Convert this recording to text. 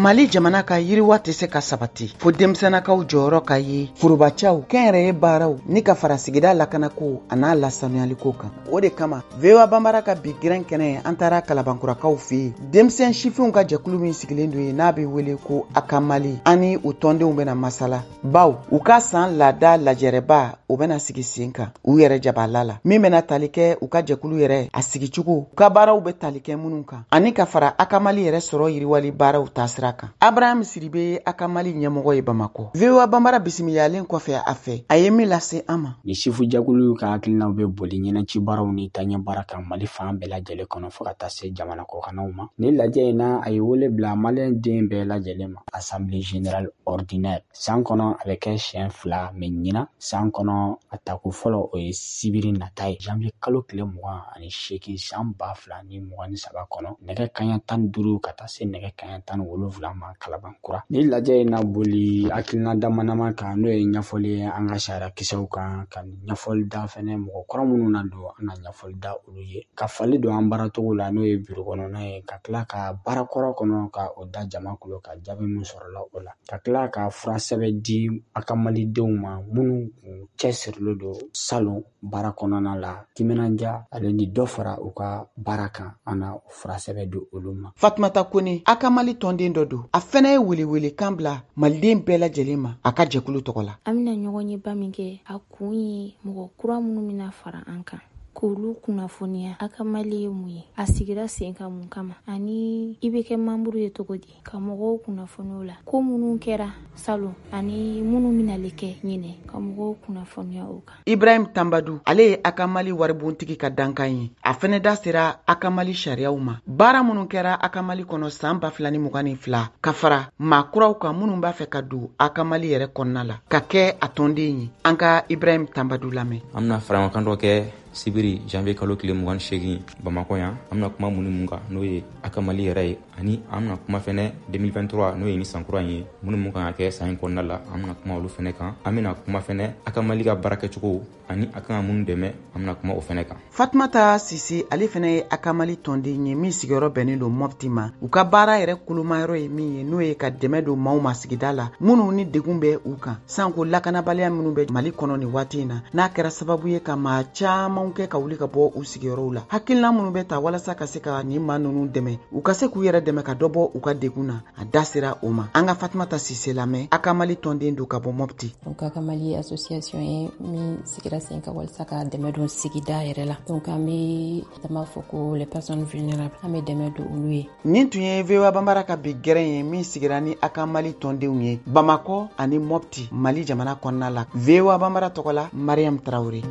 Mali jamana ka yiriwa tɛ se ka sabati fo denmisɛnnakaw jɔyɔrɔ ka ye forobacaw, kɛnyɛrɛye baaraw ni ka fara sigida lakanako a n'a lasanuyaliko kan. O de kama VOA Banbara ka bi gɛrɛn kɛnɛ, an taara Kalabankurakaw fɛ yen, denmisɛn sifinw ka jɛkulu min sigilen don yen n'a bɛ wele ko Akamali. An ni u tɔndenw bɛna masala, baw u ka san laada lajɛrɛba o bɛna sigi sen kan u yɛrɛ jabala la, min bɛna tali kɛ u ka jɛkulu yɛrɛ a sigicogo, u ka baaraw bɛ tali kɛ minnu kan, ani ka fara Akamali yɛrɛ sɔrɔ yiriwali baaraw taasira kan. Abraham Sidibe ye Akamali ɲɛmɔgɔ ye Bamakɔ. VOA Banbara bisimilalen kɔfɛ a fɛ, a ye min lase an ma. Ni sifu jɛkulu ka hakilinaw bɛ boli ɲɛnɛci baaraw ni taɲɛ baara kan Mali fan bɛɛ lajɛlen kɔnɔ fo ka taa se jamana kɔkannaw ma. Ni lajɛ in na, a ye wele bila maliyɛn den bɛɛ lajɛlen ma. Assemblée générale ordinaire san kɔnɔ a bɛ kɛ siɲɛ 2, mɛ ɲinan san kɔnɔ a tako fɔlɔ o ye sibiri nata ye, janvier kalo tile 28 san 2023 kɔnɔ, nɛgɛ kanɲɛ 15 ka taa se nɛgɛ kanɲɛ 17 ma Kalabankura. Ni lajɛ in na boli hakilina damadama kan, n'o ye ɲɛfɔli ye an ka sariya kisɛw kan, ka ɲɛfɔli da fɛnɛ mɔgɔ kura minnu na don, an na ɲɛfɔli da olu ye, ka fali don an baaracogo la, n'o ye biro kɔnɔna ye, ka tila ka baara kɔrɔ kɔnɔ ka o da jama kulo ka jaabi min sɔrɔla o la, ka tila ka fura sɛbɛn di a ka malidenw ma minnu kun cɛsirilen don salon baara kɔnɔna la, timinandiya ale ni dɔ fara u ka baara kan, an na fura sɛbɛn di olu ma. Fatumata Kone, a ka Mali tɔnden dɔ don, a fɛnɛ ye welewelekan bila maliden bɛɛ lajɛlen ma a ka jɛkulu tɔgɔ la. An bɛna ɲɔgɔn ye ba min kɛ, a kun ye mɔgɔ kura minnu bɛna fara an kan k'olu kunnafoniya a ka Mali ye mun ye, a sigira sen kan mun kama, ani i bɛ kɛ membre ye cogo di, ka mɔgɔw kunnafoniya la ko minnu kɛra salon ani minnu bɛna kɛ ɲinɛ, ka mɔgɔw kunnafoniya o kan. Ibrahim Tambadu, ale ye Akamali waribontigi ka dankan ye. A fɛnɛ da sera Akamali sariyaw ma, baara minnu kɛra Akamali kɔnɔ san 2022, ka fara maa kuraw kan minnu b'a fɛ ka don Akamali yɛrɛ kɔnɔna la ka kɛ a tɔnden ye. An ka Ibrahim Tambadu lamɛn. An bɛna faraɲɔgɔnkan dɔ kɛ sibiri janvier kalo tile 28 Bamakɔ yan. An bɛna kuma mun ni mun kan, n'o ye Akamali yɛrɛ ye, ani an bɛna kuma fɛnɛ 2023, n'o ye ni san kura in ye, minnu mun kan ka kɛ san in kɔnɔna la, an bɛna kuma olu fɛnɛ kan. An bɛna kuma fɛnɛ Akamali ka baara kɛcogo ani a kan ka minnu dɛmɛ, an bɛna kuma o fɛnɛ kan. Fatumata Sise, ale fɛnɛ ye Akamali tɔnden ye min sigiyɔrɔ bɛnnen don Mɔpti ma. U ka baara yɛrɛ kolomayɔrɔ ye min ye, n'o ye ka dɛmɛ don maaw ma sigida la minnu ni degun bɛ u kan, sanko lakanabaliya minnu bɛ Mali kɔnɔ nin waati in na, n'a kɛra sababu ye ka maa caman kɛ ka wuli ka bɔ u sigiyɔrɔw la. Hakilina minnu bɛ ta walasa ka se ka nin maa ninnu dɛmɛ, u ka se k'u yɛrɛ dɛmɛ ka dɔ bɔ u ka degun na, a da sera o ma. An ka Fatumata Sise lamɛn, Akamali tɔnden don ka bɔ Mɔpti. Donc Akamali association ye min sigira sen kan walasa ka dɛmɛ don sigida yɛrɛ la. Donc an bɛ an b'a fɔ ko les personnes vulnérables, an bɛ dɛmɛ don olu ye. Nin tun ye VOA Banbara ka bi gɛrɛn ye min sigira ni Akamali tɔndenw ye Bamakɔ ani Mɔpti, Mali jamana kɔnɔna la. VOA Banbara tɔgɔ la, Mariam Traoré.